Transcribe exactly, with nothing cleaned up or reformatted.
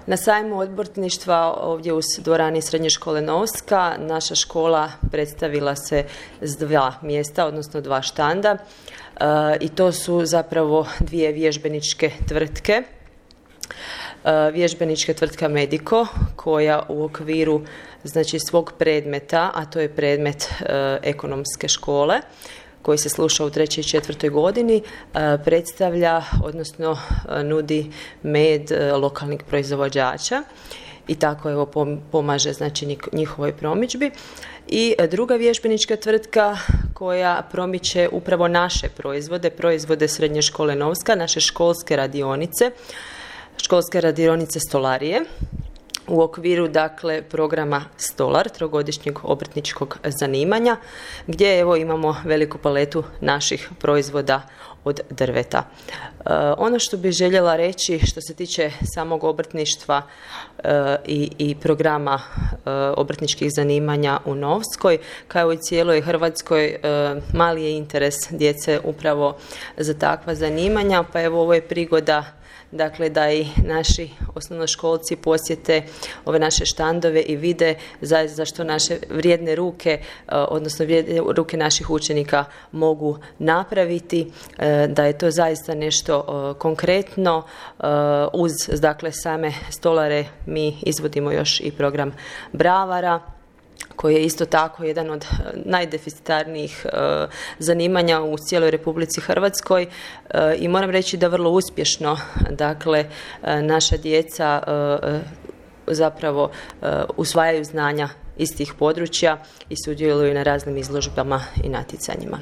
Na sajmu obrtništva ovdje u dvorani Srednje škole Novska naša škola predstavila se s dva mjesta, odnosno dva štanda e, i to su zapravo dvije vježbeničke tvrtke. E, vježbenička tvrtka Medico koja u okviru znači svog predmeta, a to je predmet e, ekonomske škole koji se sluša u trećoj i četvrtoj godini, predstavlja, odnosno nudi med lokalnih proizvođača i tako evo pomaže znači njihovoj promidžbi. I druga vježbenička tvrtka koja promiče upravo naše proizvode, proizvode Srednje škole Novska, naše školske radionice, školske radionice stolarije, u okviru dakle programa Stolar, trogodišnjeg obrtničkog zanimanja, gdje evo imamo veliku paletu naših proizvoda od drveta. E, ono što bih željela reći što se tiče samog obrtništva e, i, i programa e, obrtničkih zanimanja u Novskoj, kao i cijeloj Hrvatskoj, e, mali je interes djece upravo za takva zanimanja, pa evo ovo je prigoda dakle da i naši osnovnoškolci posjete ove naše štandove i vide zaista što naše vrijedne ruke, odnosno vrijedne ruke naših učenika mogu napraviti, da je to zaista nešto konkretno. Uz dakle same stolare mi izvodimo još i program bravara, koji je isto tako jedan od najdeficitarnijih e, zanimanja u cijeloj Republici Hrvatskoj e, i moram reći da vrlo uspješno dakle e, naša djeca e, zapravo e, usvajaju znanja iz tih područja i sudjeluju na raznim izložbama i natjecanjima.